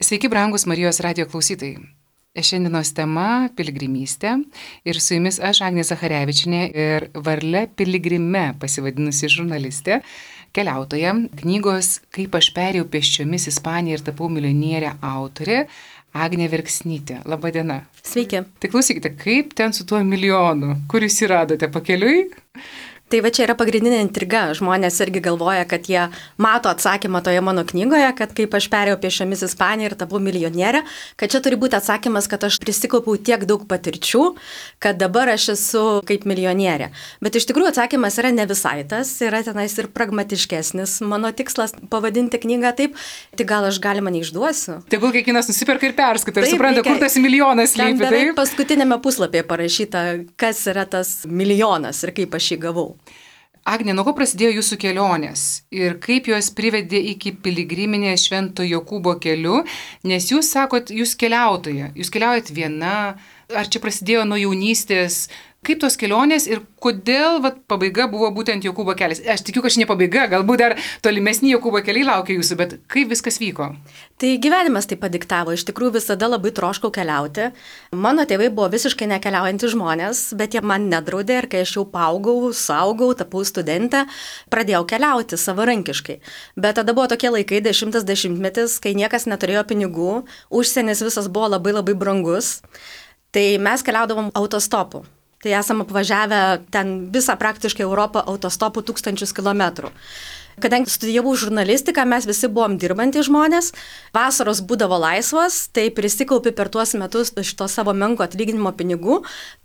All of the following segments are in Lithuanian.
Sveiki, brangus Marijos radijo klausytojai. Šiandienos tema - piligrimystė ir su jumis aš, Agnė Zacharevičinė ir Varle Piligrime pasivadinusi žurnalistė, keliautoja, knygos Kaip aš perėjau pėsčiomis Ispaniją ir tapau milijonierė autorė Agnė Verksnytė. Labadiena. Sveiki. Tai klausykite, kaip ten su tuo milijonu? Kur jūs jį radote, pakeliui? Tai va čia yra pagrindinė intriga. Žmonės irgi galvoja, kad jie mato atsakymą toje mano knygoje, kad kaip aš perėjau pėsčiomis Ispaniją ir tapau milijonierė, kad čia turi būti atsakymas, kad aš prisikaupiau tiek daug patirčių, kad dabar aš esu kaip milijonierė. Bet iš tikrųjų atsakymas yra ne visai tas, yra tenais ir pragmatiškesnis. Mano tikslas pavadinti knygą taip, tai gal aš galima neišduosiu. Tegul kiekvienas nusiperka ir perskaito ir supranta, kur tas milijonas slypi. Taip, paskutinėme puslapyje parašyta, kas yra tas milijonas ir kaip aš jį gavau. Agnė, nuo ko prasidėjo jūsų kelionės ir kaip jos privedė iki piligriminės Švento Jokūbo keliu, nes jūs sakot, jūs keliaujat viena, ar čia prasidėjo nuo jaunystės, kaip tos kelionės ir kodėl pabaiga buvo būtent Jokūbo kelias. Aš tikiu, kad čia ne pabaiga, galbūt dar tolimesni Jokūbo keliai laukia jūsų, bet kaip viskas vyko? Tai gyvenimas tai padiktavo, iš tikrųjų visada labai troškau keliauti. Mano tėvai buvo visiškai nekeliaujantys žmonės, bet jie man nedraudė ir kai aš jau paaugau, suaugau, tapau studentę, pradėjau keliauti savarankiškai. Bet tada buvo tokie laikai, 10-as dešimtmetis, kai niekas neturėjo pinigų, užsienis visas buvo labai labai brangus, tai mes keliaudavom autostopu. Tai esam apvažiavę ten visą praktiškai Europą autostopu 1000 kilometrų. Kadangi studijavau žurnalistiką, mes visi buvom dirbantys žmonės, vasaros būdavo laisvos, tai prisikaupi per tuos metus iš to savo menko atlyginimo pinigų,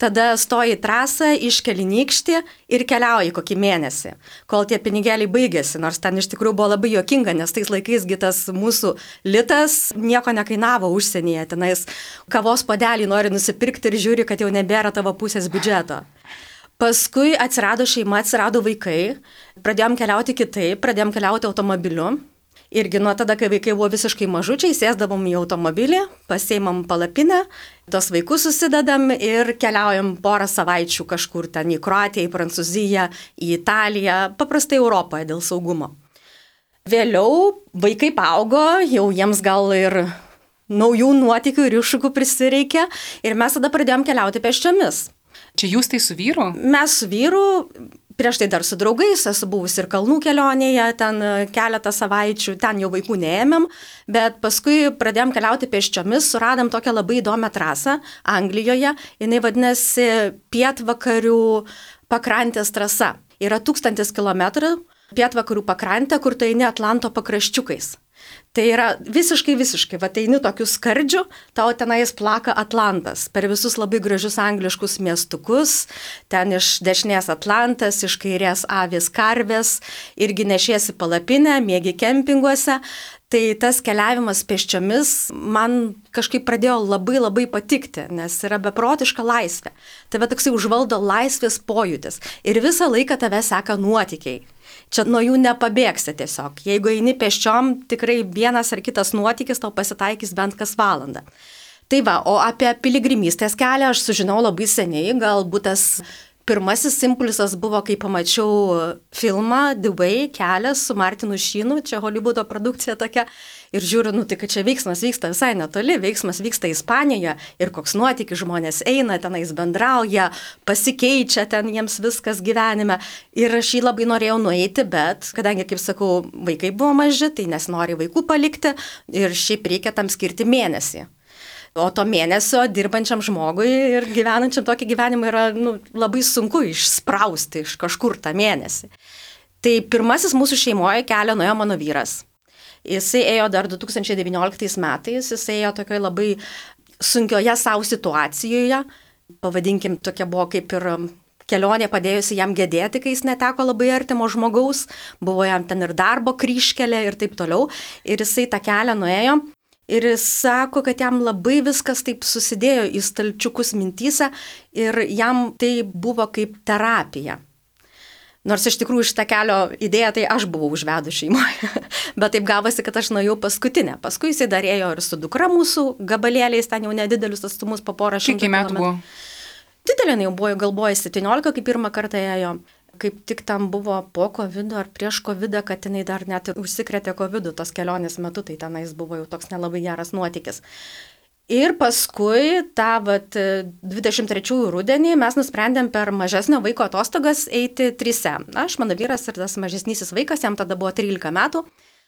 tada stoji į trasą, iškeli nykštį ir keliauji kokį mėnesį, kol tie pinigėliai baigėsi, nors ten iš tikrųjų buvo labai juokinga, nes tais laikais tas mūsų litas nieko nekainavo užsienyje, tenais kavos puodelį nori nusipirkti ir žiūri, kad jau nebėra tavo pusės biudžeto. Paskui atsirado šeima, atsirado vaikai, pradėjom keliauti kitaip, pradėjom keliauti automobiliu. Irgi nuo tada, kai vaikai buvo visiškai mažučiai, sėsdavom į automobilį, pasiimam palapinę, tos vaikus susidedam ir keliaujam porą savaičių kažkur ten į Kroatiją, į Prancūziją, į Italiją, paprastai Europoje dėl saugumo. Vėliau vaikai paaugo, jau jiems gal ir naujų nuotykių ir iššūkių prisireikė ir mes tada pradėjom keliauti pėsčiomis. Čia jūs tai su vyru? Mes su vyru, prieš tai dar su draugais, esu buvusi ir kalnų kelionėje, ten keletą savaičių, ten jau vaikų neėmėm, bet paskui pradėjom keliauti pėsčiomis, suradom tokią labai įdomią trasą Anglijoje, jinai vadinasi pietvakarių pakrantės trasa. Yra 1000 kilometrų pietvakarių pakrantė, kur tai eini Atlanto pakraščiukais. Tai yra visiškai, eini tokiu skardžiu, tau tenais plaka Atlantas, per visus labai gražius angliškus miestukus, ten iš dešinės Atlantas, iš kairės avys karvės, irgi nešiesi palapinę, miegi kempinguose. Tai tas keliavimas pėsčiomis man kažkaip pradėjo labai labai patikti, nes yra beprotiška laisvė. Tave toksai užvaldo laisvės pojūtis ir visą laiką tave seka nuotykiai. Čia nuo jų nepabėgsi tiesiog. Jeigu eini pėsčiom, tikrai vienas ar kitas nuotykis tau pasitaikys bent kas valandą. Tai va, o apie piligrimystės kelią aš sužinau labai seniai, galbūt tas pirmasis impulsas buvo, kai pamačiau filmą The Way, kelias su Martinu Sheenu, čia Hollywoodo produkcija tokia, ir žiūriu, tai kad čia veiksmas vyksta visai netoli, veiksmas vyksta Ispanijoje ir koks nuotykis, žmonės eina, tenais bendrauja, pasikeičia ten jiems viskas gyvenime ir aš jį labai norėjau nueiti, bet kadangi, kaip sakau, vaikai buvo maži, tai nesinori vaikų palikti ir šiaip reikia tam skirti mėnesį. O to mėnesio dirbančiam žmogui ir gyvenančiam tokį gyvenimą yra labai sunku išsprausti iš kažkur tą mėnesį. Tai pirmasis mūsų šeimoje kelią nuėjo mano vyras. Jisai ėjo dar 2019 metais, jisai ėjo tokioje labai sunkioje savo situacijoje, pavadinkim, tokia buvo kaip ir kelionė padėjusi jam gedėti, kai jis neteko labai artimo žmogaus, buvo jam ten ir darbo kryžkelė ir taip toliau, ir jisai tą kelią nuėjo. Ir jis sako, kad jam labai viskas taip susidėjo į stalčiukus mintyse ir jam tai buvo kaip terapija. Nors iš tikrųjų šitą kelio idėją tai aš buvau užvedus šeimoje, bet taip gavosi, kad aš nuėjau paskutinę. Paskui jisai dar ėjo ir su dukra mūsų gabalėliais, ten jau nedidelius atstumus po porą šimtų kilometrų. Kiek metų buvo? Didelė jau buvo, gal buvo 17, kai pirmą kartą ėjo. Kaip tik tam buvo po COVID ar prieš COVID, kad jinai dar net ir užsikrėtė COVID tos kelionės metu, tai tenais buvo jau toks nelabai geras nuotykis. Ir paskui tą 23 rudenį mes nusprendėm per mažesnio vaiko atostogas eiti 3. Aš, mano vyras ir tas mažesnysis vaikas, jam tada buvo 13 metų.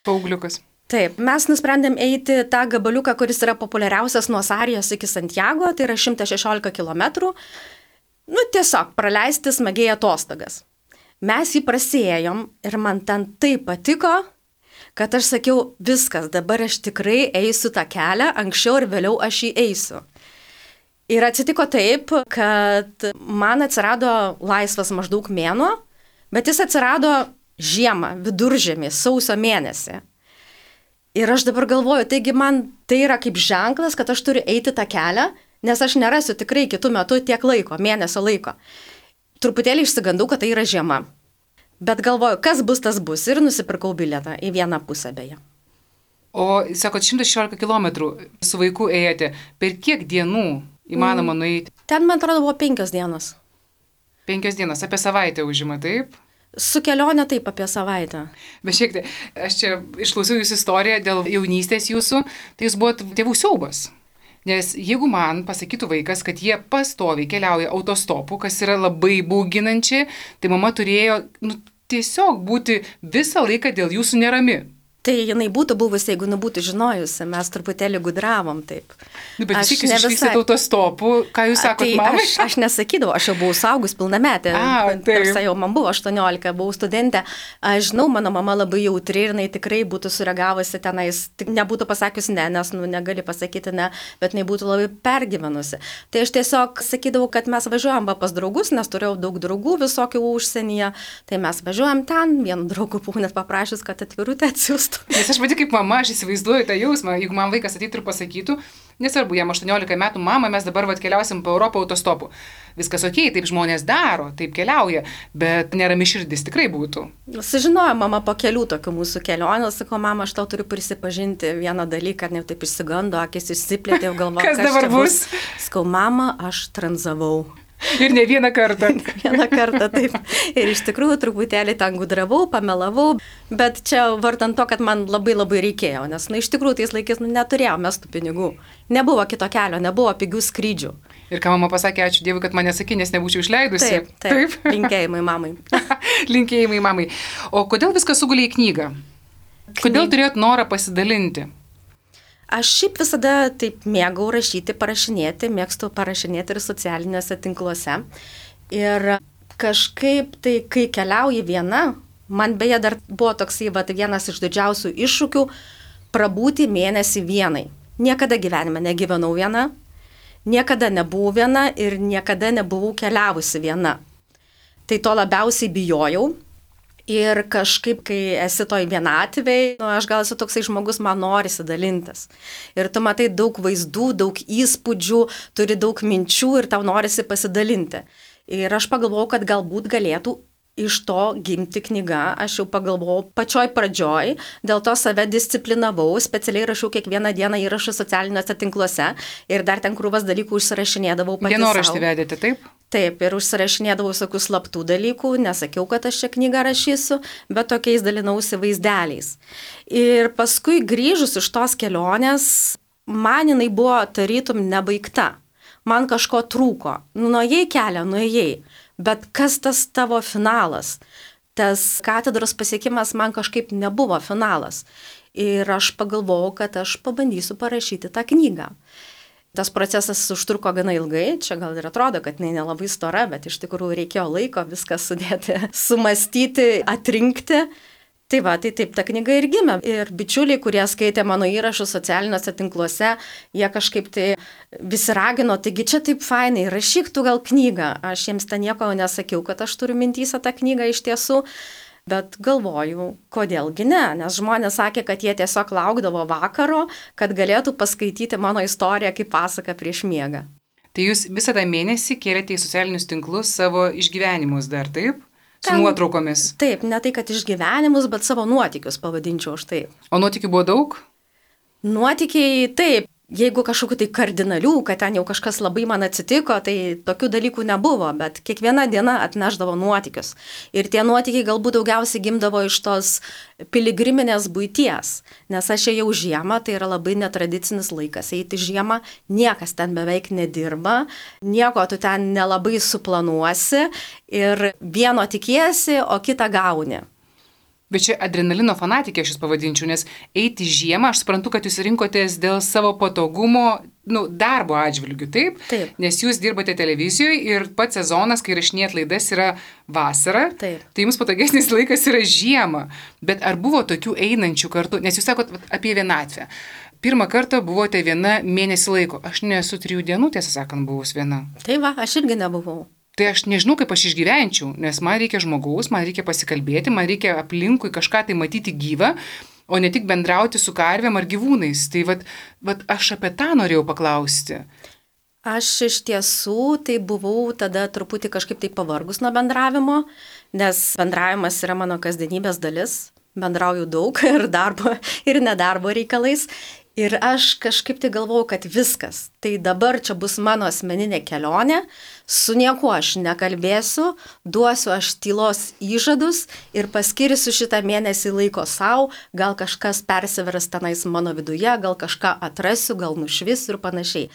Paaugliukas. Taip, mes nusprendėm eiti tą gabaliuką, kuris yra populiariausias nuo Sarijos iki Santiago, tai yra 116 km. Tiesiog praleisti smagiai atostogas. Mes jį prasiėjom ir man ten taip patiko, kad aš sakiau, viskas, dabar aš tikrai eisiu tą kelią, anksčiau ir vėliau aš jį eisiu. Ir atsitiko taip, kad man atsirado laisvas maždaug mėnuo, bet jis atsirado žiemą, viduržiemį, sausio mėnesį. Ir aš dabar galvoju, taigi man tai yra kaip ženklas, kad aš turiu eiti tą kelią, nes aš nerasiu tikrai kitų metų tiek laiko, mėnesio laiko. Truputėlį išsigandau, kad tai yra žiema. Bet galvoju, kas bus, tas bus. Ir nusipirkau bilietą į vieną pusę beje. O, sakot, 116 km su vaiku ėjote. Per kiek dienų įmanoma nueiti? Ten, man atrodo, buvo 5 dienos. 5 dienos, apie savaitę užima, taip? Su kelionė taip apie savaitę. Bet šiek tiek, aš čia išklausiau jūsų istoriją dėl jaunystės jūsų, tai jūs buvot tėvų siaubas. Nes jeigu man pasakytų vaikas, kad jie pastoviai keliauja autostopu, kas yra labai bauginančiai, tai mama turėjo tiesiog būti visą laiką dėl jūsų nerami. Tai jinai būtų buvusi, jeigu nebūtų žinojusi, mes truputėlį gudravom taip. Bet vis tiek jūs išvykstėte autostopu, ką jūs sakot, mamai? Aš nesakydavau, aš jau buvau saugus pilnametė. Tarsi jau man buvo 18, buvau studentė. Aš žinau, mano mama labai jautri ir jinai tikrai būtų sureagavusi tenais, nebūtų pasakiusi ne, nes negali pasakyti ne, bet jinai būtų labai pergyvenusi. Tai aš tiesiog sakydavau, kad mes važiuojam pas draugus, nes turėjau daug draugų visokių užsienyje, tai mes važiuojam ten, vienu draugu buvau net paprašęs, kad atvirutę atsiųstų. Nes aš pati kaip mama, aš įsivaizduoju tą jausmą, jeigu man vaikas ateitų ir pasakytų, nesvarbu, jam 18 metų, mama, mes dabar keliausim po Europą autostopu. Viskas okei, taip žmonės daro, taip keliauja, bet nerami širdis tikrai būtų. Sužinojo mama po kelių tokių mūsų kelionių, sako, mama, aš tau turiu prisipažinti vieną dalyką, ar ne taip išsigando, akis išsiplėtė, galvoju, kas dabar bus. Sakau, mama, aš tranzavau. Ir ne vieną kartą. Vieną kartą, taip. Ir iš tikrųjų truputėlį ten gudravau, pamelavau, bet čia vartant to, kad man labai reikėjo, nes iš tikrųjų tais laikais neturėjome mes tų pinigų. Nebuvo kito kelio, nebuvo pigių skrydžių. Ir ką mama pasakė, ačiū Dievui, kad mane sakė, nes nebūčiau išleidusi. Taip. Linkėjimai mamai. Linkėjimai mamai. O kodėl viskas sugulė į knygą? Kodėl turėjot norą pasidalinti? Aš šiaip visada taip mėgau rašyti, parašinėti, mėgstu parašinėti ir socialiniuose tinkluose. Ir kažkaip tai, kai keliauji viena, man beje dar buvo toksai vienas iš didžiausių iššūkių prabūti mėnesį vienai. Niekada gyvenime negyvenau viena, niekada nebuvau viena ir niekada nebuvau keliavusi viena. Tai to labiausiai bijojau. Ir kažkaip, kai esi toj vienatvėj, aš gal esu toksai žmogus, man norisi dalintis. Ir tu matai daug vaizdų, daug įspūdžių, turi daug minčių ir tau norisi pasidalinti. Ir aš pagalvojau, kad galbūt galėtų iš to gimti knyga. Aš jau pagalvojau pačioj pradžioj, dėl to save disciplinavau, specialiai rašiau kiekvieną dieną įrašus socialiniuose tinkluose ir dar ten krūvas dalykų užsirašinėdavau pati sau. Dienoraštį vedėte, taip? Taip, ir užsirašinėdavau visokių slaptų dalykų, nesakiau, kad aš šią knygą rašysiu, bet tokiais dalinausi vaizdeliais. Ir paskui grįžus iš tos kelionės, man jinai buvo tarytum nebaigta. Man kažko trūko. Nuėjai kelią, nuėjai. Bet kas tas tavo finalas? Tas katedros pasiekimas man kažkaip nebuvo finalas. Ir aš pagalvojau, kad aš pabandysiu parašyti tą knygą. Tas procesas užtruko gana ilgai, čia gal ir atrodo, kad jinai nelabai stora, bet iš tikrųjų reikėjo laiko viską sudėti, sumastyti, atrinkti. Tai va, tai taip ta knyga ir gimė. Ir bičiuliai, kurie skaitė mano įrašus socialiniuose tinkluose, jie kažkaip tai visi ragino, taigi čia taip fainai, rašyk tu gal knygą. Aš jiems ten nieko nesakiau, kad aš turiu mintyse tą knygą iš tiesų, bet galvoju, kodėlgi ne, nes žmonės sakė, kad jie tiesiog laukdavo vakaro, kad galėtų paskaityti mano istoriją kaip pasaką prieš miegą. Tai jūs visą tą mėnesį kėlėte į socialinius tinklus savo išgyvenimus dar, taip? Su nuotraukomis. Taip, ne tai, kad išgyvenimus, bet savo nuotykius pavadinčiau aš taip. O nuotykių buvo daug? Nuotykiai, taip. jeigu kažkokiu tai kardinalių, kad ten jau kažkas labai man atsitiko, tai tokių dalykų nebuvo, bet kiekviena diena atnešdavo nuotykius. Ir tie nuotykiai galbūt daugiausiai gimdavo iš tos piligriminės buities, nes aš ėjau žiemą, tai yra labai netradicinis laikas, eiti žiemą, niekas ten beveik nedirba, nieko tu ten nelabai suplanuosi ir vieno tikiesi, o kitą gauni. Bet čia adrenalino fanatikė aš jūs pavadinčiau, nes eiti žiemą, aš suprantu, kad jūs rinkotės dėl savo patogumo, darbo atžvilgių, taip? Taip. Nes jūs dirbate televizijoje ir pats sezonas, kai rašinėjat laidas, yra vasara, Taip. Tai jums patogesnis laikas yra žiema. Bet ar buvo tokių einančių kartu, nes jūs sakot apie vienatvę. Pirmą kartą buvote viena mėnesį laiko. Aš nesu 3 dienų, tiesą sakant, buvus viena. Tai va, aš irgi nebuvau. Tai aš nežinau, kaip aš išgyvenčiau, nes man reikia žmogaus, man reikia pasikalbėti, man reikia aplinkui kažką tai matyti gyvą, o ne tik bendrauti su karvėm ar gyvūnais. Tai vat aš apie tą norėjau paklausti. Aš iš tiesų tai buvau tada truputį kažkaip tai pavargus nuo bendravimo, nes bendravimas yra mano kasdienybės dalis. Bendrauju daug ir darbo, ir nedarbo reikalais. Ir aš kažkaip tai galvojau, kad viskas. Tai dabar čia bus mano asmeninė kelionė, su niekuo aš nekalbėsiu, duosiu aš tylos įžadus ir paskirsiu šitą mėnesį laiko savo, gal kažkas persiveras tenais mano viduje, gal kažką atrasiu, gal nušvisiu ir panašiai.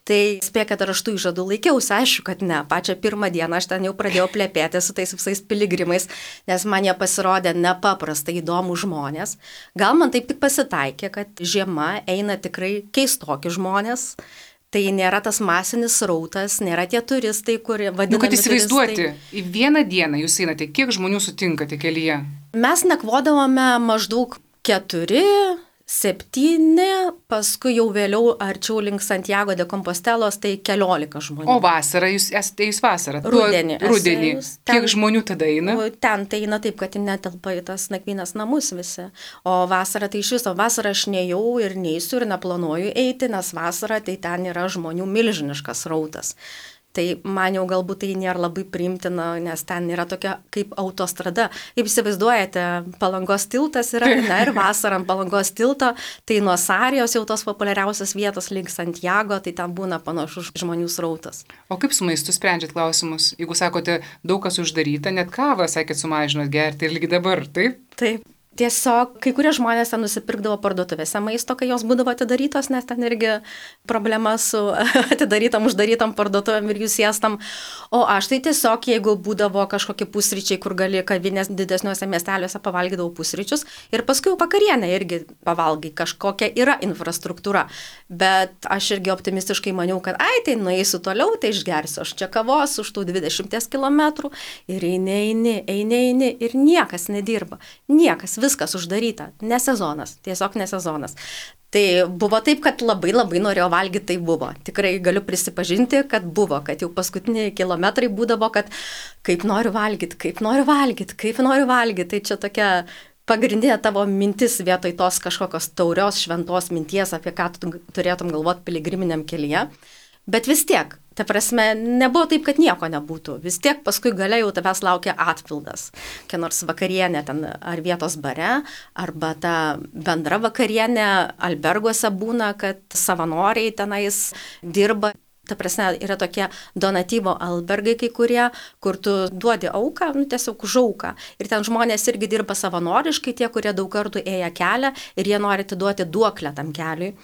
Tai spėkit, ar aš tų įžadų laikiausi, aišku, kad ne. Pačią pirmą dieną aš ten jau pradėjau plepėti su tais visais piligrimais, nes man jie pasirodė nepaprastai įdomų žmonės. Gal man taip tik pasitaikė, kad žiema eina tikrai keistoki žmonės. Tai nėra tas masinis srautas, nėra tie turistai, kurie vadinami kad įsivaizduoti, turistai. Į vieną dieną jūs einate, kiek žmonių sutinkate kelyje? Mes nakvodavome maždaug 4, 7, paskui jau vėliau arčiau link Santiago de Compostelos, tai 14 žmonių. O vasarą, jūs esate vasarą? Rudenį. Rudenį. Kiek žmonių tada eina? Ten tai eina taip, kad netelpa į tas nakvynės namus visi. O vasarą tai iš viso, vasarą aš nejau ir neįsiu ir neplanuoju eiti, nes vasarą tai ten yra žmonių milžiniškas rautas. Tai man jau galbūt tai nėra labai priimtina, nes ten yra tokia kaip autostrada. Kaip įsivaizduojate, Palangos tiltas yra, ir vasarą Palangos tilto, tai nuo Sarijos jau tos populiariausios vietos link Santiago, tai ten būna panašus žmonių srautas. O kaip su maistu sprendžiat klausimus? Jeigu sakote, daug kas uždaryta, net kavą, sakėt, sumažinot gerti ir lygi dabar, taip? Taip. Tiesiog kai kurie žmonės ten nusipirkdavo parduotuvėse maisto, kai jos būdavo atidarytos, nes ten irgi problema su atidarytam, uždarytam parduotuvėm ir jų siestam. O aš tai tiesiog, jeigu būdavo kažkokie pusryčiai, kur gali kavinės didesniuose miesteliuose pavalgydavau pusryčius ir paskui vakarienę irgi pavalgai, kažkokia yra infrastruktūra. Bet aš irgi optimistiškai maniau, kad tai nueisiu toliau, tai išgersiu aš čia kavos už tų 20 km ir eini ir niekas nedirba. Niekas, viskas uždaryta, ne sezonas, tiesiog ne sezonas. Tai buvo taip, kad labai norėjau valgyti, tai buvo. Tikrai galiu prisipažinti, kad buvo, kad jau paskutiniai kilometrai būdavo, kad kaip noriu valgyti. Tai čia tokia pagrindinė tavo mintis vietoj tos kažkokios taurios šventos minties, apie ką tu turėtum galvoti piligriminiam kelyje. Bet vis tiek, ta prasme, nebuvo taip, kad nieko nebūtų. Vis tiek paskui gale jau tavęs laukia atpildas. Kokia nors vakarienė ten ar vietos bare, arba ta bendra vakarienė alberguose būna, kad savanoriai tenais dirba. Ta prasme, yra tokie donatyvo albergai kai kurie, kur tu duodi auką, tiesiog už auką. Ir ten žmonės irgi dirba savanoriškai, tie, kurie daug kartų ėję kelią ir jie nori atiduoti duoklę tam keliui.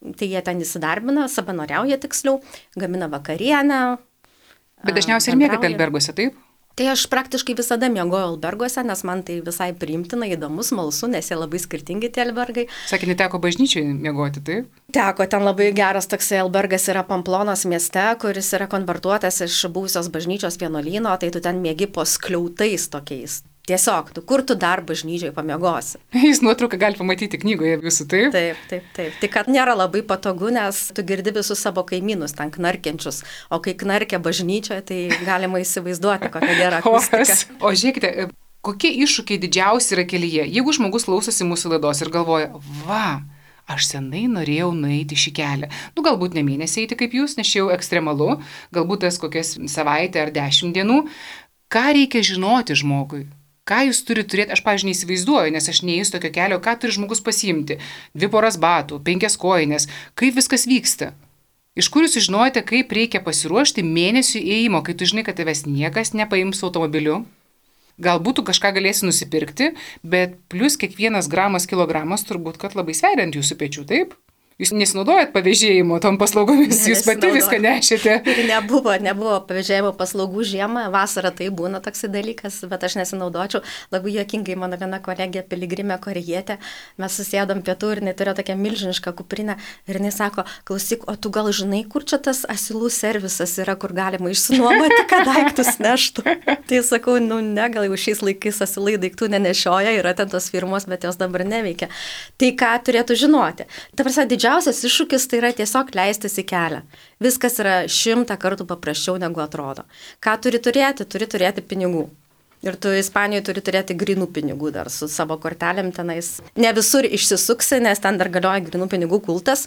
Tai jie ten įsidarbina, savanoriauja tiksliau, gamina vakarienę. Bet dažniausiai ir miegate alberguose, taip? Tai aš praktiškai visada miegojau alberguose, nes man tai visai priimtina, įdomu, smalsu, nes jie labai skirtingi tie albergai. Sakė, neteko bažnyčiai miegoti, taip? Teko, ten labai geras toksai albergas yra Pamplonos mieste, kuris yra konvertuotas iš buvusios bažnyčios vienuolyno, tai tu ten miegi po skliautais tokiais. Tiesiog, kur tu dar bažnyčiai pamiegosi. Jūs nuotrauką gali pamatyti knygoje visų, taip? Taip. Tik kad nėra labai patogu, nes tu girdi visus savo kaimynus ten knarkiančius, o kai knarkia bažnyčioje, tai galima įsivaizduoti, kokia gera akustika. O žiūrėkite, kokie iššūkiai didžiausi yra kelyje? Jeigu žmogus klausosi mūsų laidos ir galvoja, aš senai norėjau nueiti šį kelią. Galbūt ne mėnesį eiti kaip jūs, nes čia jau ekstremalu, galbūt tas kokias savaitę ar 10 dienų. Ką reikia žinoti žmogui? Ką jūs turite turėti, aš, pavyzdžiui, neįsivaizduoju, nes aš neįsiu tokio kelio, ką turi žmogus pasiimti. 2 poras batų, 5 kojines, kaip viskas vyksta. Iš kur jūs žinojate, kaip reikia pasiruošti mėnesių ėjimo, kai tu žinai, kad tavęs niekas nepaims automobiliu? Galbūt tu kažką galėsi nusipirkti, bet plus kiekvienas gramas, kilogramas turbūt, kad labai sveria ant jūsų pečių, taip? Jūs nesinaudojat pavėžėjimo tom paslaugomis, jūs pati viską nešėte. Ir nebuvo pavėžėjimo paslaugų žiemą, vasarą tai būna toksai dalykas, bet aš nesinaudočiau. Labai juokingai mano viena kolegė piligrimė korėjietė, mes susėdom pietų ir jinai turėjo tokią milžinišką kuprinę ir jinai sako, klausyk, o tu gal žinai, kur čia tas asilų servisas yra, kur galima išsinuomoti, kad daiktus neštų. Tai sakau, ne, gal jau šiais laikais asilai daiktų nenešioja, yra ten tos firmos, bet jos dabar neveikia. Tai ką turėtų žinoti? Ta prasme, didžiausias iššūkis tai yra tiesiog leistis į kelią. Viskas yra 100 kartų paprasčiau negu atrodo. Ką turi turėti pinigų. Ir tu Ispanijoje turi turėti grinų pinigų dar su savo kortelėm tenais. Ne visur išsisuksi, nes ten dar galioja grinų pinigų kultas.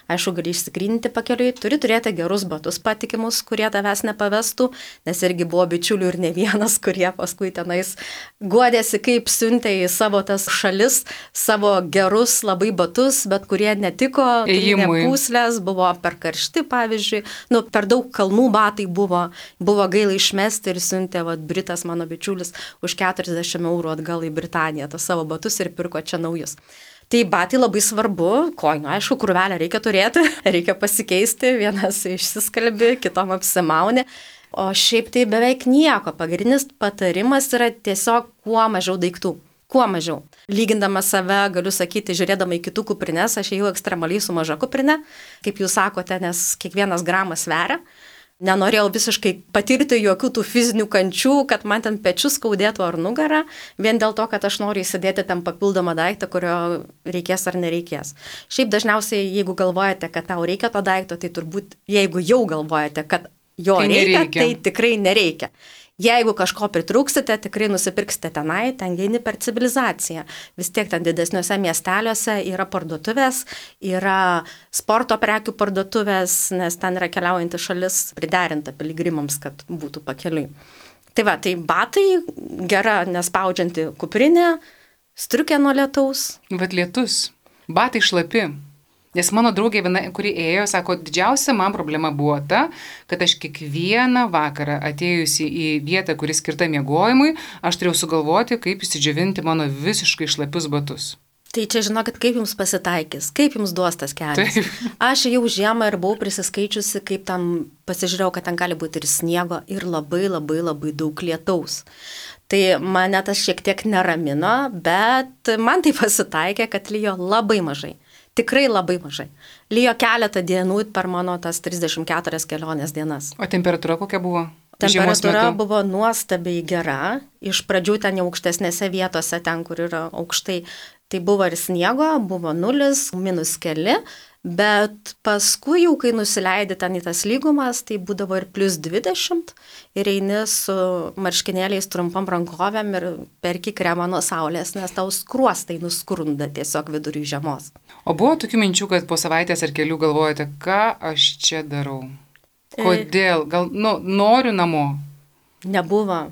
Aišku, gali išsigryninti pakeliui. Turi turėti gerus batus patikimus, kurie tavęs nepavestų, nes irgi buvo bičiulių ir ne vienas, kurie paskui tenais guodėsi, kaip siuntė į savo tas šalis, savo gerus labai batus, bet kurie netiko, pūslės, buvo per karšti, pavyzdžiui, per daug kalnų batai buvo gaila išmesti ir siuntė Britas mano bičiulis už 40 eurų atgal į Britaniją tas savo batus ir pirko čia naujus. Tai batai labai svarbu, kojinių, aišku, krūvelę reikia turėti, reikia pasikeisti, vienas išsiskalbi, kitom apsimauni, o šiaip tai beveik nieko. Pagrindinis patarimas yra tiesiog kuo mažiau daiktų. Kuo mažiau. Lygindama save, galiu sakyti, žiūrėdama į kitų kuprines, aš ėjau ekstremaliai su maža kuprine, kaip jūs sakote, nes kiekvienas gramas sveria. Nenorėjau visiškai patirti jokių tų fizinių kančių, kad man ten pečius skaudėtų ar nugarą, vien dėl to, kad aš noriu įsidėti ten papildomą daiktą, kurio reikės ar nereikės. Šiaip dažniausiai, jeigu galvojate, kad tau reikia to daikto, tai turbūt, jeigu jau galvojate, kad jo reikia, tai tikrai nereikia. Jeigu kažko pritrūksite, tikrai nusipirksite tenai, ten eini per civilizaciją. Vis tiek ten didesniuose miesteliuose yra parduotuvės, yra sporto prekių parduotuvės, nes ten yra keliaujanti šalis priderinta piligrimams, kad būtų pakeliui. Tai va, tai batai, gera nespaudžianti kuprinė, striukė nuo lietaus. Bet lietus, batai šlapi. Nes mano draugė viena, kuri ėjo, sako, didžiausia man problema buvo ta, kad aš kiekvieną vakarą atėjusi į vietą, kuri skirta miegojimui, aš turėjau sugalvoti, kaip įsidžiovinti mano visiškai šlapius batus. Tai čia žinokit, kaip jums pasitaikys, kaip jums duos tas kelias. Taip. Aš jau žiemą ir buvau prisiskaičiusi, kaip tam pasižiūrėjau, kad ten gali būti ir sniego, ir labai daug lietaus. Tai mane tas šiek tiek neramino, bet man tai pasitaikė, kad lijo labai mažai. Tikrai labai mažai. Lijo keletą dienų per mano tas 34 kelionės dienas. O temperatūra kokia buvo? Temperatūra buvo nuostabiai gera. Iš pradžių ten jau aukštesnėse vietose, ten kur yra aukštai, tai buvo ir sniego, buvo 0, -keli, bet paskui jau, kai nusileidi ten į tas lygumas, tai būdavo ir +20 ir eini su marškinėliais trumpam rankovėm ir perki kremą nuo saulės, nes tau skruostai nuskrunda tiesiog vidury žiemos. O buvo tokių minčių, kad po savaitės ar kelių galvojate, ką aš čia darau? Kodėl? Gal noriu namo? Nebuvo.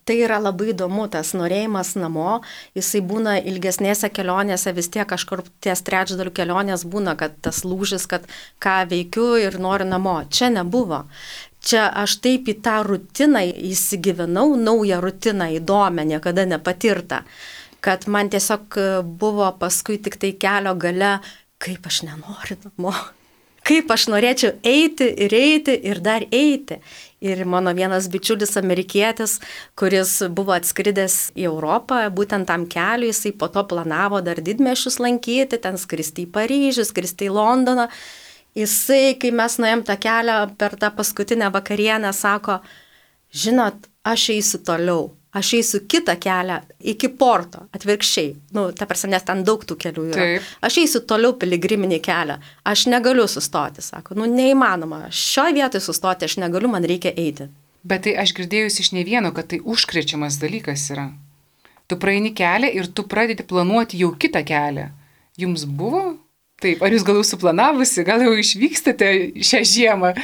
Tai yra labai įdomu, tas norėjimas namo, jisai būna ilgesnėse kelionėse, vis tiek kažkur ties trečdalių kelionės būna, kad tas lūžis, kad ką veikiu ir noriu namo. Čia nebuvo. Čia aš taip į tą rutiną įsigyvenau, naują rutiną, įdomią, niekada nepatirtą, kad man tiesiog buvo paskui tik tai kelio gale, kaip aš nenoriu namo. Kaip aš norėčiau eiti ir dar eiti. Ir mano vienas bičiulis amerikietis, kuris buvo atskridęs į Europą, būtent tam keliui, jisai po to planavo dar didmiesčius lankyti, ten skristi į Paryžių, skristi į Londoną. Jisai, kai mes nuėjom tą kelią per tą paskutinę vakarienę, sako, žinot, aš eisiu toliau. Aš eisiu kitą kelią iki Porto, atvirkščiai. Ta prasme, nes ten daug tų kelių yra. Taip. Aš eisiu toliau piligriminį kelią. Aš negaliu sustoti, sako. Neįmanoma. Šioje vietoje sustoti aš negaliu, man reikia eiti. Bet tai aš girdėjusi iš ne vieno, kad tai užkrečiamas dalykas yra. Tu praeini kelią ir tu pradedi planuoti jau kitą kelią. Jums buvo Taip, ar jūs gal jau suplanavusi, gal jau išvykstate šią žiemą?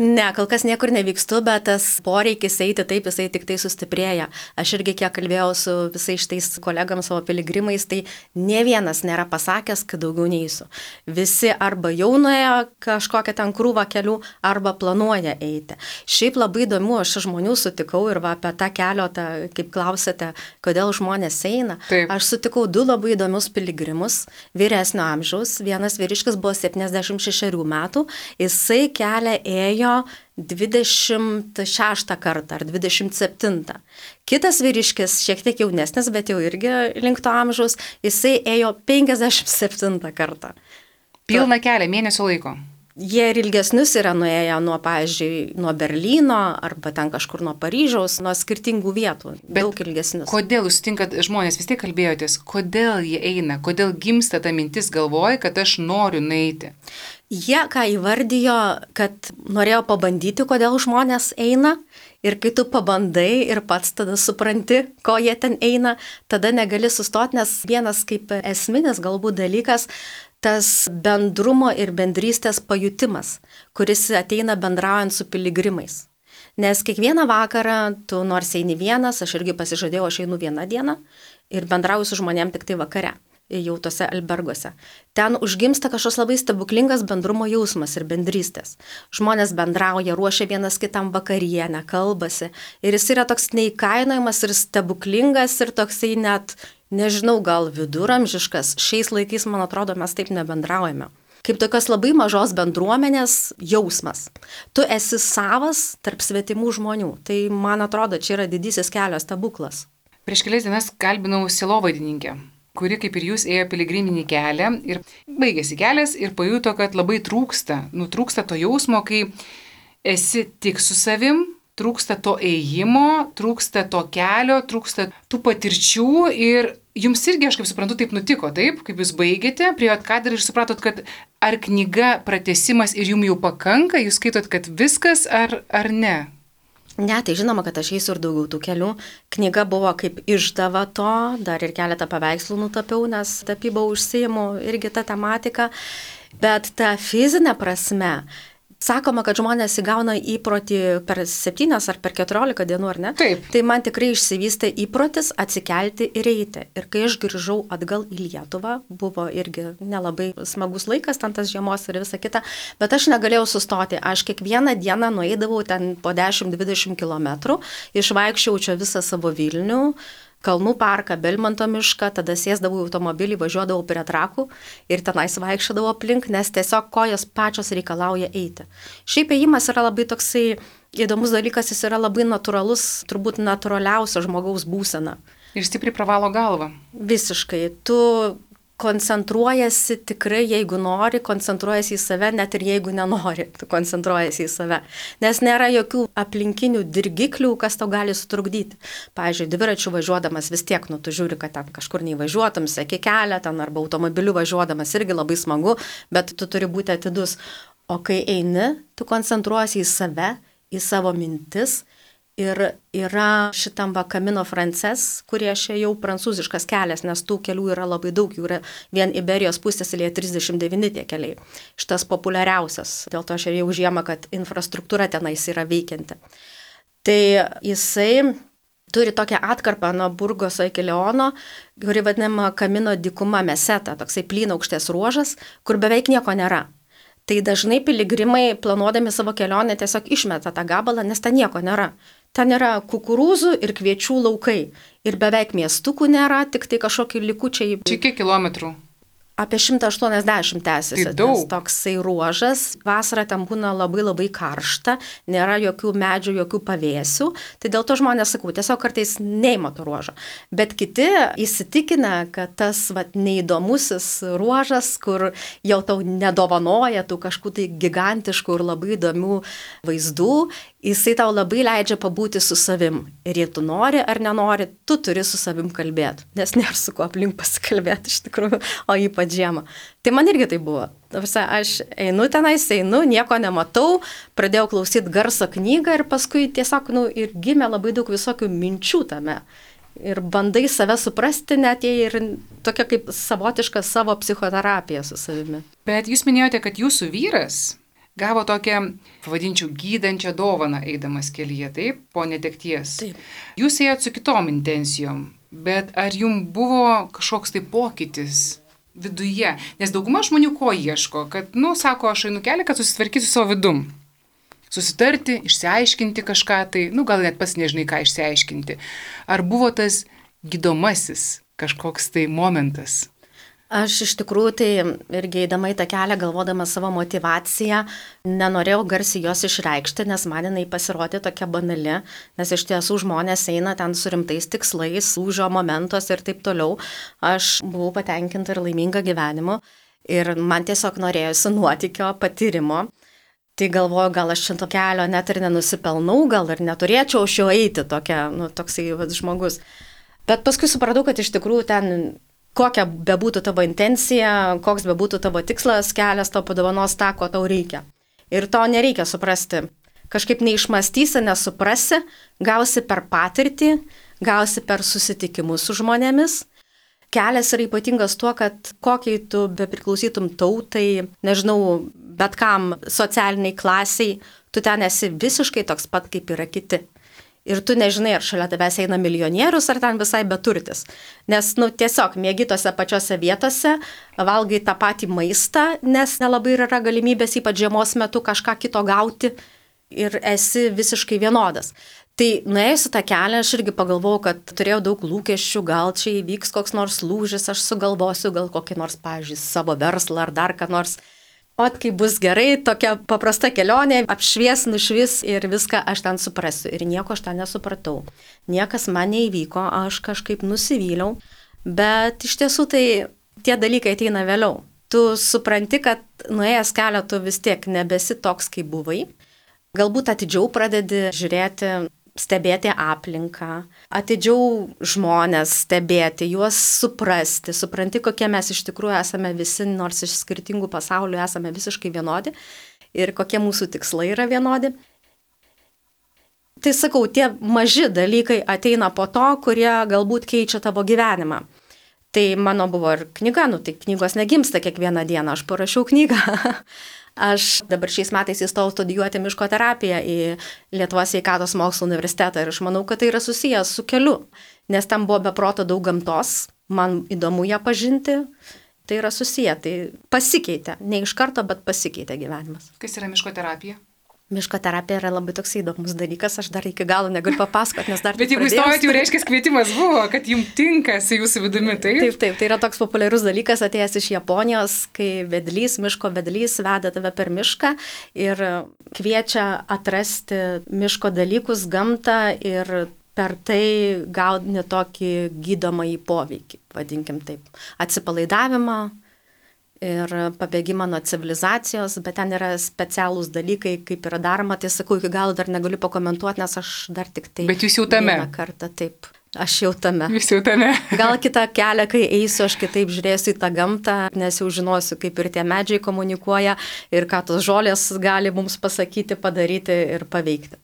Ne, kol kas niekur nevykstu, bet tas poreikis eiti taip, jisai tik tai sustiprėja. Aš irgi kiek kalbėjau su visais šitais kolegams savo piligrimais, tai ne vienas nėra pasakęs, kad daugiau neįsiu. Visi arba jau nuėjo kažkokią ten krūvą kelių, arba planuoja eiti. Šiaip labai įdomu, aš žmonių sutikau ir va apie tą keliotą, kaip klausėte, kodėl žmonės eina. Taip. Aš sutikau 2 labai įdomius piligrimus, vyresnio amžiaus. Vienas vyriškis buvo 76 metų, jisai kelią ėjo 26 kartą ar 27. Kitas vyriškis, šiek tiek jaunesnis, bet jau irgi link to amžiaus, jisai ėjo 57 kartą. Pilną kelią, mėnesio laiko. Jie ir ilgesnius yra nuėję nuo, pavyzdžiui, nuo Berlyno arba ten kažkur nuo Paryžiaus, nuo skirtingų vietų, daug ilgesnius. Kodėl jūs sutinkat žmonės, vis tiek kalbėjotės, kodėl jie eina, kodėl gimsta ta mintis galvoja, kad aš noriu nueiti? Jie ką įvardijo, kad norėjo pabandyti, kodėl žmonės eina, ir kai tu pabandai ir pats tada supranti, ko jie ten eina, tada negali sustoti, nes vienas kaip esminis galbūt dalykas, tas bendrumo ir bendrystės pajutimas, kuris ateina bendraujant su piligrimais. Nes kiekvieną vakarą tu nors eini vienas, aš irgi pasižadėjau, aš einu vieną dieną ir bendrauju su žmonėm tik tai vakare, jau tose albergose. Ten užgimsta kažkoks labai stebuklingas bendrumo jausmas ir bendrystės. Žmonės bendrauja, ruošia vienas kitam vakarienę, kalbasi. Ir jis yra toks neįkainojamas ir stebuklingas ir toksai net, nežinau, gal viduramžiškas. Šiais laikais, man atrodo, mes taip nebendraujame. Kaip tokios labai mažos bendruomenės jausmas. Tu esi savas tarp svetimų žmonių. Tai, man atrodo, čia yra didysis kelio stebuklas. Prieš kelias dienas kalbinau sielovadininkę, kuri kaip ir jūs ėjo piligriminį kelią ir baigėsi kelias ir pajuto, kad labai trūksta to jausmo, kai esi tik su savim, trūksta to ėjimo, trūksta to kelio, trūksta tų patirčių ir jums irgi, aš kaip suprantu, taip nutiko, taip, kaip jūs baigėte, priėjot kadrą ir supratot, kad ar knyga pratęsimas ir jums jau pakanka, jūs skaitot, kad viskas ar ne? Ne, tai žinoma, kad aš eisiu ir daugiau tų kelių. Knyga buvo kaip išdava to, dar ir keletą paveikslų nutapiau, nes tapybą užsiimu irgi tą tematiką. Bet ta fizinė prasme, sakoma, kad žmonės įgauna įprotį per 7 ar per 14 dienų, ar ne? Taip. Tai man tikrai išsivystė įprotis atsikelti ir eiti. Ir kai aš grįžau atgal į Lietuvą, buvo irgi nelabai smagus laikas, ten tas žiemos ir visa kita, bet aš negalėjau sustoti. Aš kiekvieną dieną nueidavau ten po 10-20 km, išvaikščiau čia visą savo Vilnių, Kalnų parką, Belmonto mišką, tada sėsdavau į automobilį, važiuodavau prie Trakų ir tenais vaikščiodavau aplink, nes tiesiog kojos pačios reikalauja eiti. Šiaip ėjimas yra labai toksai įdomus dalykas, jis yra labai natūralus, turbūt natūraliausia žmogaus būsena. Ir stipriai pravalo galvą. Visiškai. Tu koncentruojasi tikrai, jeigu nori, koncentruojasi į save, net ir jeigu nenori, tu koncentruojasi į save. Nes nėra jokių aplinkinių dirgiklių, kas tau gali sutrukdyti. Pavyzdžiui, dviračių važiuodamas vis tiek, tu žiūri, kad ten kažkur neįvažiuotum, seki kelią, ten arba automobiliu važiuodamas irgi labai smagu, bet tu turi būti atidus. O kai eini, tu koncentruojasi į save, į savo mintis. Ir yra šitam Camino Frances, kurie čia jau prancūziškas kelias, nes tų kelių yra labai daug, jų yra vien Iberijos pusėsalyje 39 tie keliai. Šitas populiariausias, dėl to aš ir jau žiemą, kad infrastruktūra tenais yra veikianti. Tai jisai turi tokią atkarpą nuo Burgoso iki Leono, kuri vadinama Camino dykuma Meseta, toksai plynaukštės ruožas, kur beveik nieko nėra. Tai dažnai piligrimai, planuodami savo kelionę, tiesiog išmeta tą gabalą, nes ten nieko nėra. Ten yra kukurūzų ir kviečių laukai. Ir beveik miestukų nėra, tik tai kažkokie likučiai. Čia kiek kilometrų? Apie 180 tęsiasi. Tai daug. Toksai ruožas. Vasarą ten būna labai labai karšta, nėra jokių medžių, jokių pavėsių. Tai dėl to žmonės, sakau, tiesiog kartais neima to ruožo. Bet kiti įsitikina, kad tas neįdomusis ruožas, kur jau tau nedovanoja tų kažkokių tai gigantiškų ir labai įdomių vaizdų, jisai tau labai leidžia pabūti su savim. Ir jei tu nori ar nenori, tu turi su savim kalbėti. Nes nėra su kuo aplink pasikalbėti iš tikrųjų, o ypač žiemą. Tai man irgi tai buvo. Aš einu tenais, nieko nematau, pradėjau klausyti garso knygą ir paskui tiesiog ir gimė labai daug visokių minčių tame. ir bandai save suprasti, net jei ir tokia kaip savotiška savo psichoterapija su savimi. Bet jūs minėjote, kad jūsų vyras gavo tokią, pavadinčiau, gydančią dovaną eidamas kelyje, taip, po netekties. Taip. Jūs ėjot su kitom intencijom, bet ar jums buvo kažkoks tai pokytis viduje? Nes dauguma žmonių ko ieško, kad, sako, aš einu kelią, kad susitvarkysiu savo vidum. Susitarti, išsiaiškinti kažką, tai, gal net pats nežinai, ką išsiaiškinti. Ar buvo tas gydomasis kažkoks tai momentas? Aš iš tikrųjų tai irgi eidama į tą kelią, galvodama savo motivaciją, nenorėjau garsiai jos išreikšti, nes man jinai pasirodė tokia banali, nes iš tiesų žmonės eina ten su rimtais tikslais, lūžio momentos ir taip toliau. Aš buvau patenkinta ir laiminga gyvenimu ir man tiesiog norėjosi nuotykio, patyrimo. Tai galvoju, gal aš šito kelio net ir nenusipelnau, gal ir neturėčiau aš jo eiti toksai žmogus. Bet paskui supratau, kad iš tikrųjų ten kokia bebūtų tavo intencija, koks bebūtų tavo tikslas, kelias tau padovanos tą, ko tau reikia. Ir to nereikia suprasti. Kažkaip neišmąstysi, nesuprasi, gausi per patirtį, gausi per susitikimus su žmonėmis. Kelias yra ypatingas tuo, kad kokiai tu bepriklausytum tautai, nežinau, bet kam socialiniai klasiai, tu ten esi visiškai toks pat, kaip yra kiti. Ir tu nežinai, ar šalia tavęs eina milijonierius, ar ten visai beturtis. Nes, tiesiog mėgi tose pačiose vietose, valgai tą patį maistą, nes nelabai yra galimybės, ypač žiemos metu, kažką kito gauti ir esi visiškai vienodas. Tai nuėjusi tą kelią, aš irgi pagalvojau, kad turėjau daug lūkesčių, gal čia įvyks koks nors lūžis, aš sugalvosiu gal kokį nors, pavyzdžiui, savo verslą ar dar ką nors. O kai bus gerai, tokia paprasta kelionė, apšvies, nušvis ir viską aš ten suprasiu. Ir nieko aš ten nesupratau. Niekas man neįvyko, aš kažkaip nusivyliau. Bet iš tiesų tai tie dalykai ateina vėliau. Tu supranti, kad nuėjęs kelią tu vis tiek nebesi toks, kaip buvai. Galbūt atidžiau pradedi žiūrėti, stebėti aplinką, atidžiau žmonės stebėti, juos suprasti, supranti, kokie mes iš tikrųjų esame visi, nors iš skirtingų pasaulių esame visiškai vienodi ir kokie mūsų tikslai yra vienodi. Tai sakau, tie maži dalykai ateina po to, kurie galbūt keičia tavo gyvenimą. Tai mano buvo ir knyga, tai knygos negimsta kiekvieną dieną, aš parašiau knygą. Aš dabar šiais metais įstojau studijuoti miško terapiją į Lietuvos sveikatos mokslų universitetą ir aš manau, kad tai yra susijęs su keliu, nes tam buvo beproto daug gamtos, man įdomu ją pažinti, tai yra susiję, tai pasikeitė, ne iš karto, bet pasikeitė gyvenimas. Kas yra miško terapija? Miško terapija yra labai toks įdomus dalykas, aš dar iki galo negaliu papasakoti, nes dar Bet jeigu įstojot, jau reiškia kvietimas buvo, kad jums tinka su jūsų vidumi, taip? Taip, tai yra toks populiarus dalykas atėjęs iš Japonijos, kai vedlys, miško vedlys veda tave per mišką ir kviečia atrasti miško dalykus, gamtą ir per tai gauni tokį gydomąjį poveikį, vadinkim taip, atsipalaidavimą ir pabėgimą nuo civilizacijos, bet ten yra specialūs dalykai, kaip yra daroma, tai sakau, iki galo dar negaliu pakomentuoti, nes aš dar tik tai... Bet jūs jau tame. Vieną kartą, taip, aš jau tame. Jūs jau tame. Gal kitą kelią, kai eisiu, aš kitaip žiūrėsiu į tą gamtą, nes jau žinosiu, kaip ir tie medžiai komunikuoja ir ką tos žolės gali mums pasakyti, padaryti ir paveikti.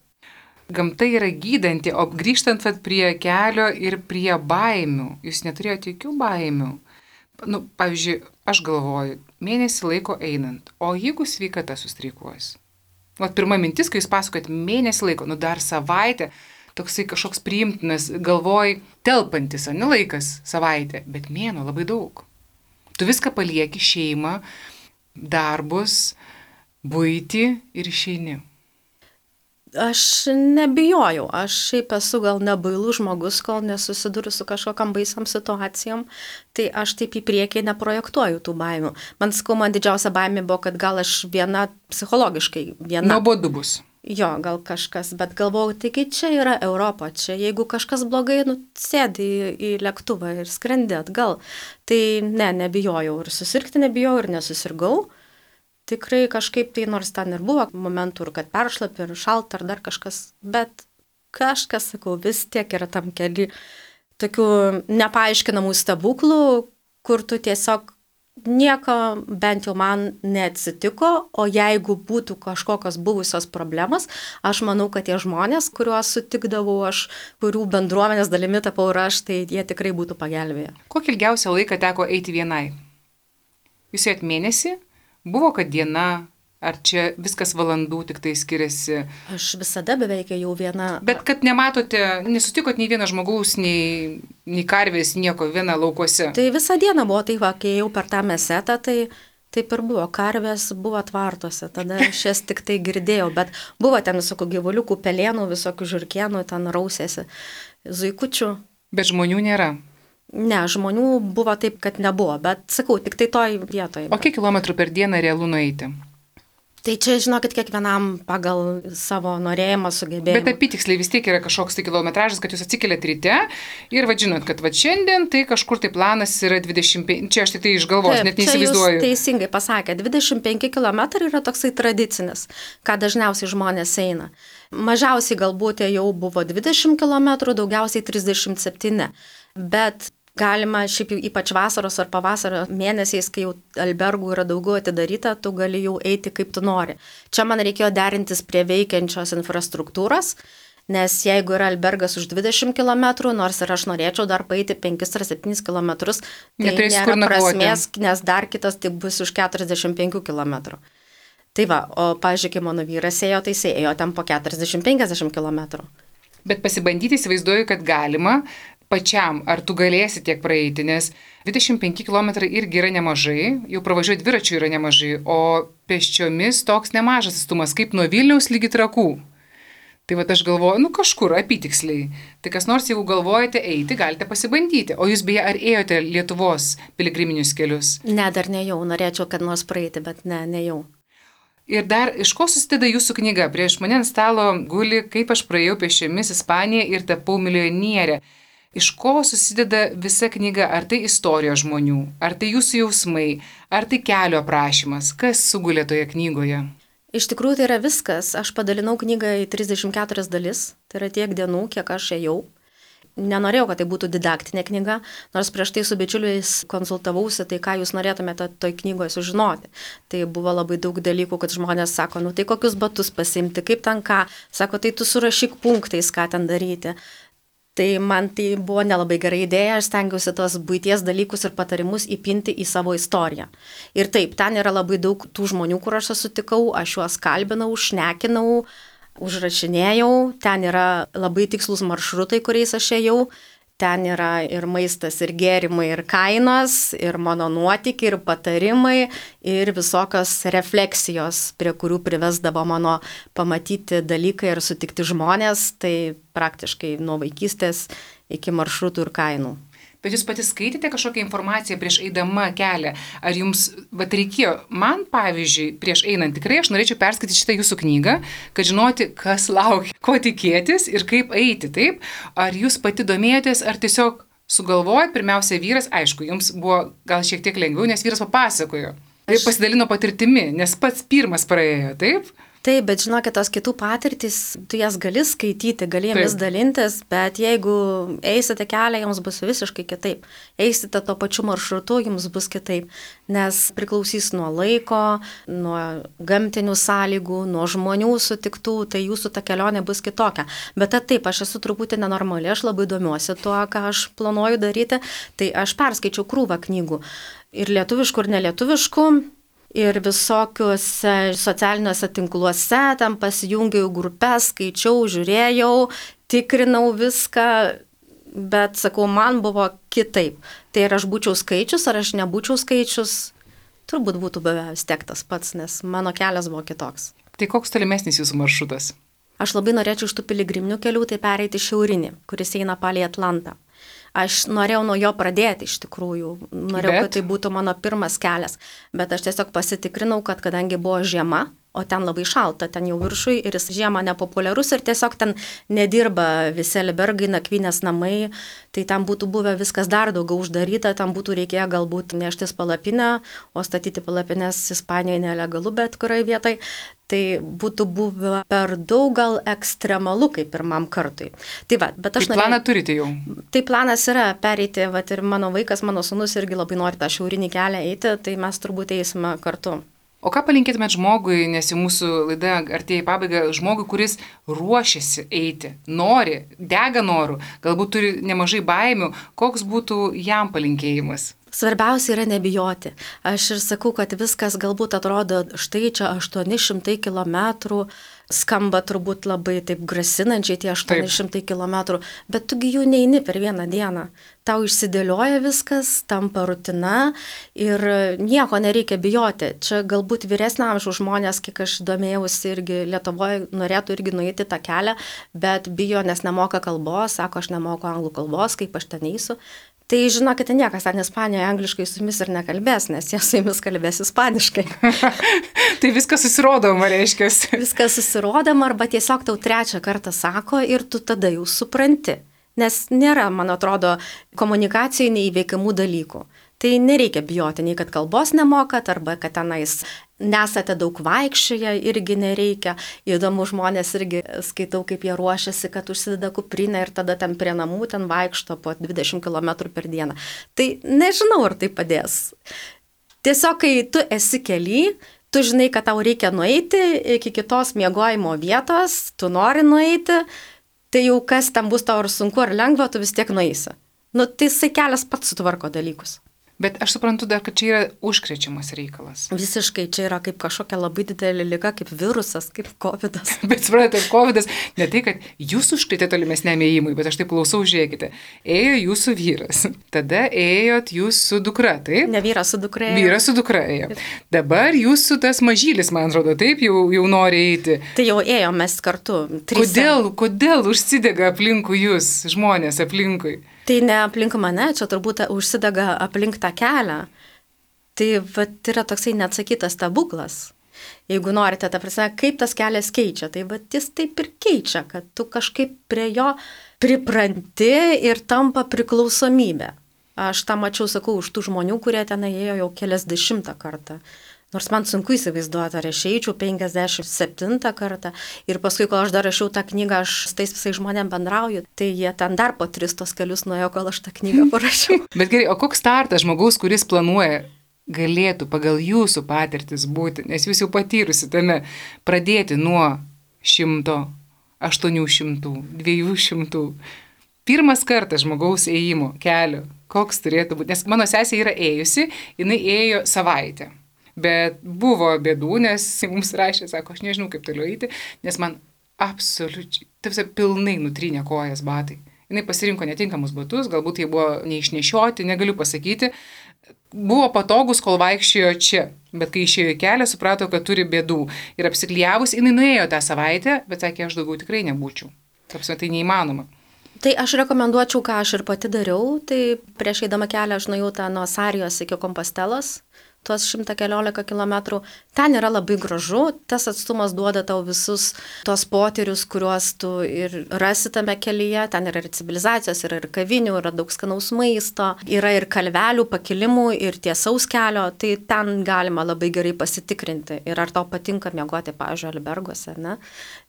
Gamta yra gydanti, o grįžtant prie kelio ir prie baimių, jūs neturėjote jokių baimių. Pavyzdžiui, aš galvoju, mėnesį laiko einant, o jeigu sveikata sustreikuos? Pirma mintis, kai jūs pasakojat mėnesį laiko, dar savaitę, toksai kažkoks priimtinas, galvoj, telpantis, laikas savaitė, bet mėnuo labai daug. Tu viską palieki, šeimą, darbus, buitį ir išeini. Aš nebijojau, aš šiaip esu gal nebailus žmogus, kol nesusiduriu su kažkokiam baisiam situacijom, tai aš taip į priekį neprojektuoju tų baimių. Man didžiausia baimė buvo, kad gal aš viena psichologiškai viena. Nuobodu bus. Jo, gal kažkas, bet galvojau, taigi čia yra Europa, čia jeigu kažkas blogai, sėdi į lėktuvą ir skrendi atgal. Tai nebijojau ir susirgti nebijojau ir nesusirgau. Tikrai kažkaip tai, nors ten ir buvo momentų, kad peršlapi ir šalta ar dar kažkas, bet kažkas, sakau, vis tiek yra tam keli tokių nepaaiškinamų stebuklų, kur tu tiesiog Nieko bent jau man neatsitiko, o jeigu būtų kažkokios buvusios problemas, aš manau, kad tie žmonės, kuriuos sutikdavau aš, kurių bendruomenės dalimi tapau ir aš, tai jie tikrai būtų pagelbėję. Kokį ilgiausią laiką teko eiti vienai? Jūs ėjot mėnesį? Buvo, kad diena? Ar čia viskas valandų tik tai skiriasi? Aš visada beveik jau viena. Bet kad nematote, nesutikot nei vieno žmogaus, nei karvės, nieko, viena laukuose. Tai visą dieną buvo, tai va, kai jau per tą mesetą, tai taip ir buvo. Karvės buvo tvartuose, tada aš jas tik tai girdėjau, bet buvo ten visokių gyvuliukų, pelėnų, visokių žirkienų, ten rausėsi, zuikučių. Bet žmonių nėra. Ne, žmonių buvo taip, kad nebuvo, bet sakau, tik tai toj vietoje. O kiek kilometrų per dieną realu nueiti? Tai čia, žinokit, kiekvienam pagal savo norėjimą, sugebėjimą. Bet apytiksliai vis tiek yra kažkoks tai kilometražas, kad jūs atsikeliat ryte ir žinot, kad šiandien tai kažkur tai planas yra 25, čia aš tik tai iš galvos, net neįsivaizduoju. Taip, teisingai pasakė, 25 km yra toksai tradicinis, ką dažniausiai žmonės eina. Mažiausiai galbūt jau buvo 20 km, daugiausiai 37, bet galima šiaip jau ypač vasaros ar pavasario mėnesiais, kai jau albergų yra daugiau atidaryta, tu gali jau eiti kaip tu nori. Čia man reikėjo derintis prie veikiančios infrastruktūros, nes jeigu yra albergas už 20 km, nors ir aš norėčiau dar paeiti 5 ar 7 km, tai nėra prasmės, nes dar kitas tik bus už 45 km. Tai va, o pažiūrėk, mano vyras ėjo, tai jis ėjo ten po 40-50 km. Bet pasibandyti įsivaizduoju, kad galima pačiam, ar tu galėsi tiek praeiti, nes 25 km irgi yra nemažai, jau pravažiuoti dviračių yra nemažai, o pėsčiomis toks nemažas atstumas, kaip nuo Vilniaus lygi Trakų. Tai aš galvoju, kažkur apytiksliai. Tai kas nors, jeigu galvojate eiti, galite pasibandyti. O jūs beje, ar ėjote Lietuvos piligriminius kelius? Ne, dar nejau, norėčiau, kad nors praeiti, bet nejau. Ir dar, iš ko susideda jūsų knyga? Prieš mane ant stalo guli, kaip aš praėjau pėsčiomis Ispaniją ir tapau milijonierė. Iš ko susideda visa knyga? Ar tai istorija žmonių, ar tai jūsų jausmai, ar tai kelio aprašymas? Kas sugulė toje knygoje? Iš tikrųjų tai yra viskas. Aš padalinau knygą į 34 dalis, tai yra tiek dienų, kiek aš ėjau. Nenorėjau, kad tai būtų didaktinė knyga, nors prieš tai su bičiuliais konsultavausi, tai ką jūs norėtumėte toj knygoje sužinoti. Tai buvo labai daug dalykų, kad žmonės sako, tai kokius batus pasimti, kaip ten ką, sako, tai tu surašyk punktais, ką ten daryti. Tai man tai buvo nelabai gera idėja, aš stengiausi tos buities dalykus ir patarimus įpinti į savo istoriją. Ir taip, ten yra labai daug tų žmonių, kur aš sutikau, aš juos kalbinau, šnekinau, užrašinėjau, ten yra labai tikslus maršrutai, kuriais aš ėjau, ten yra ir maistas, ir gėrimai, ir kainos, ir mano nuotykiai, ir patarimai, ir visokios refleksijos, prie kurių privesdavo mano pamatyti dalykai ir sutikti žmonės, tai praktiškai nuo vaikystės iki maršrutų ir kainų. Bet jūs pati skaitėte kažkokią informaciją prieš eidama kelią? Ar jums reikėjo, man pavyzdžiui, prieš einant tikrai aš norėčiau perskaityti šitą jūsų knygą, kad žinoti, kas laukia, ko tikėtis ir kaip eiti, taip? Ar jūs pati domėjotės, ar tiesiog sugalvojot, pirmiausia vyras, aišku, jums buvo gal šiek tiek lengviau, nes vyras papasakojo. Ir pasidalino patirtimi, nes pats pirmas praėjo, taip? Taip, bet žinokit, tos kitų patirtys, tu jas gali skaityti, gali jomis dalintis, bet jeigu eisite kelią, jums bus visiškai kitaip. Eisite to pačiu maršrutu, jums bus kitaip, nes priklausys nuo laiko, nuo gamtinių sąlygų, nuo žmonių sutiktų, tai jūsų ta kelionė bus kitokia. Bet taip, aš esu truputį nenormali, aš labai domiuosi tuo, ką aš planuoju daryti, tai aš perskaičiau krūvą knygų. Ir lietuviškų, ir nelietuviškų. Ir visokiuose socialiniuose tinkluose, ten pasijungiau grupės, skaičiau, žiūrėjau, tikrinau viską, bet sakau, man buvo kitaip. Tai ar aš būčiau skaičius, ar aš nebūčiau skaičius, turbūt būtų beveik tektas pats, nes mano kelias buvo kitoks. Tai koks tolimesnis jūsų maršrutas? Aš labai norėčiau iš tų piligriminių kelių tai pereiti šiaurinį, kuris eina palei Atlantą. Aš norėjau nuo jo pradėti iš tikrųjų, kad tai būtų mano pirmas kelias, bet aš tiesiog pasitikrinau, kad kadangi buvo žiema, o ten labai šalta, ten jau viršui ir jis žiemą nepopuliarus ir tiesiog ten nedirba visi albergai, nakvynės namai, tai ten būtų buvę viskas dar daugiau uždaryta, tam būtų reikėję galbūt neštis palapinę, o statyti palapinės Ispanijoje nelegalu bet kurioje vietoje. Tai būtų buvę per daug gal ekstremalu kaip pirmam kartui. Tai va, bet aš planą turite jau? Tai planas yra pereiti, va, ir mano vaikas, mano sūnus irgi labai nori tą šiaurinį kelią eiti, tai mes turbūt eisime kartu. O ką palinkėtumėt žmogui, nes jau mūsų laida artėja į pabaigą, žmogui, kuris ruošiasi eiti, nori, dega noru, galbūt turi nemažai baimių, koks būtų jam palinkėjimas? Svarbiausia yra nebijoti. Aš ir sakau, kad viskas galbūt atrodo, štai čia 800 km, skamba turbūt labai taip grasinančiai tie 800 km, bet tugi jų neini per vieną dieną. Tau išsidėlioja viskas, tampa rutina ir nieko nereikia bijoti. Čia galbūt vyresnio amžiaus žmonės, kiek aš domėjausi irgi Lietuvoje, norėtų irgi nueiti tą kelią, bet bijo, nes nemoka kalbos, sako, aš nemoku anglų kalbos, kaip aš ten eisiu. Tai žinokite, niekas ten Ispanijoje angliškai su jumis ir nekalbės, nes jie su jumis kalbės ispaniškai. Tai viskas susirodoma, reiškia. Viskas susirodoma arba tiesiog tau trečią kartą sako ir tu tada jau supranti. Nes nėra, man atrodo, komunikacijai neįveikiamų dalykų. Tai nereikia bijoti, nei kad kalbos nemokat, arba kad tenais nesate daug vaikščioje, irgi nereikia. Įdomu, žmonės irgi skaitau, kaip jie ruošiasi, kad užsideda kuprinę ir tada ten prie namų ten vaikšto po 20 km per dieną. Tai nežinau, ar tai padės. Tiesiog, kai tu esi kely, tu žinai, kad tau reikia nueiti iki kitos miegojimo vietos, tu nori nueiti, tai jau kas ten bus tau ar sunku ar lengva, tu vis tiek nueisi. Tai jisai kelias pats sutvarko dalykus. Bet aš suprantu dar, kad čia yra užkrečiamas reikalas. Visiškai čia yra kaip kažkokia labai didelė liga, kaip virusas, kaip covidas. Bet suprantate, covidas ne tai, kad jūs užkrėtė tolimesniam ėjimui, bet aš taip klausau, žiūrėkite. Ėjo jūsų vyras, tada ėjot jūs su dukra, taip? Ne vyras su dukra ėjo. Vyras su dukra ėjo. Dabar jūsų tas mažylis, man atrodo, taip, jau nori eiti. Tai jau ėjom mes kartu. Kodėl užsidega aplinkui jūs, žmonės aplinkui? Tai ne aplink mane, čia turbūt užsidega aplink tą kelią. Tai yra toksai neatsakytas stebuklas. Jeigu norite, ta prasme, kaip tas kelias keičia, tai jis taip ir keičia, kad tu kažkaip prie jo pripranti ir tampa priklausomybė. Aš tą mačiau, sakau, už tų žmonių, kurie ten ėjo jau keliasdešimtą kartą. Nors man sunku įsivaizduoti, ar aš eičiau 57 kartą. Ir paskui, kol aš dar rašiau tą knygą, aš su tais visais žmonėm bendrauju, tai jie ten dar po 3 kelius nuėjo, kol aš tą knygą parašiau. Bet gerai, o koks startas žmogaus, kuris planuoja, galėtų pagal jūsų patirtis būti, nes jūs jau patyrusi tame, pradėti nuo 100, 800, 200. Pirmas kartas žmogaus ėjimo kelio, koks turėtų būti, nes mano sesė yra ėjusi, jinai ėjo savaitę. Bet buvo bėdų, nes mums rašė, sako, aš nežinau, kaip toliau eiti, nes man absoliučiai, pilnai nutrynė kojas batai. Jinai pasirinko netinkamus batus, galbūt jie buvo neišnešioti, negaliu pasakyti. Buvo patogus, kol vaikščiojo čia, bet kai išėjo į kelią, suprato, kad turi bėdų. Ir apsiklijavus, jinai nuėjo tą savaitę, bet sakė, aš daugiau tikrai nebūčiau. Tai neįmanoma. Tai aš rekomenduočiau, ką aš ir pati dariau, tai prieš eidama kelią aš nuėjau tą nuo Sarijos iki Kompostelos, tuos 114 km. Ten yra labai gražu, tas atstumas duoda tau visus tos potyrius, kuriuos tu ir rasi tame kelyje. Ten yra ir civilizacijos, yra ir kavinių, yra daug skanaus maisto, yra ir kalvelių, pakilimų ir tiesaus kelio. Tai ten galima labai gerai pasitikrinti. Ir ar tau patinka miegoti, pavyzdžiui, alberguose, ne?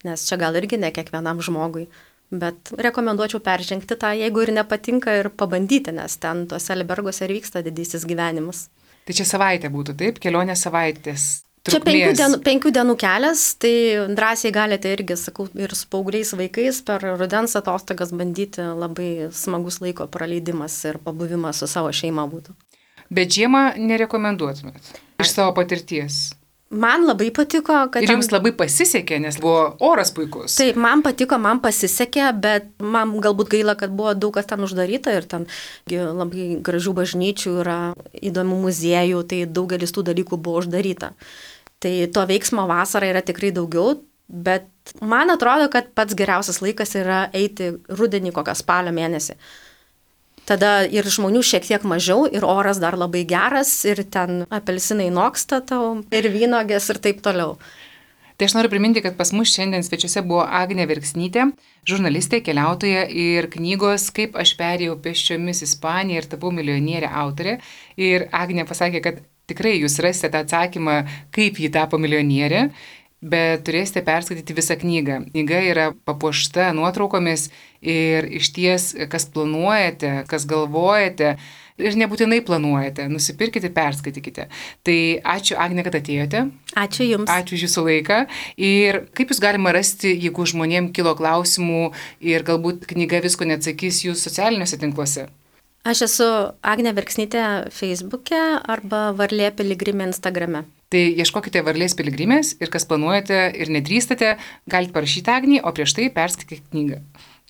Nes čia gal irgi ne kiekvienam žmogui. Bet rekomenduočiau peržengti tą, jeigu ir nepatinka, ir pabandyti, nes ten tuose alberguose ir vyksta didysis gyvenimas. Tai čia savaitė būtų, taip? Kelionė savaitės. Čia 5 dienų kelias, tai drąsiai galite irgi, sakau, ir su paaugliais vaikais per rudens atostogas bandyti, labai smagus laiko praleidimas ir pabuvimas su savo šeima būtų. Bet žiemą nerekomenduotumėt iš savo patirties? Man labai patiko, kad... Ir jums labai pasisekė, nes buvo oras puikus. Taip, man patiko, man pasisekė, bet man galbūt gaila, kad buvo daug kas ten uždaryta ir ten labai gražių bažnyčių yra, įdomių muziejų, tai daugelis tų dalykų buvo uždaryta. Tai to veiksmo vasarą yra tikrai daugiau, bet man atrodo, kad pats geriausias laikas yra eiti rudenį kokią spalio mėnesį. Tada ir žmonių šiek tiek mažiau, ir oras dar labai geras, ir ten apelsinai noksta tau, ir vynogės, ir taip toliau. Tai aš noriu priminti, kad pas mus šiandien svečiuose buvo Agnė Verksnytė, žurnalistė, keliautoja ir knygos Kaip aš perėjau pėsčiomis Ispaniją ir tapau milijonierė autorė. Ir Agnė pasakė, kad tikrai jūs rasite tą atsakymą, kaip ji tapo milijonierė, bet turėsite perskaityti visą knygą. Knyga yra papuošta nuotraukomis ir išties, kas planuojate, kas galvojate, ir nebūtinai planuojate, nusipirkite, perskaitykite. Tai ačiū, Agnė, kad atėjote. Ačiū Jums. Ačiū už Jūsų laiką. Ir kaip Jūs galima rasti, jeigu žmonėm kilo klausimų ir galbūt knyga visko neatsakys Jūs socialiniuose tinkluose? Aš esu Agnė Verksnytė Facebook'e arba Varlė Piligrimė Instagram'e. Tai ieškokite Varlės piligrimės ir kas planuojate ir nedrįstate, galite parašyti Agnį, o prieš tai perskaitykite knygą.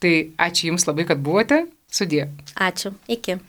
Tai ačiū Jums labai, kad buvote. Sudie. Ačiū. Iki.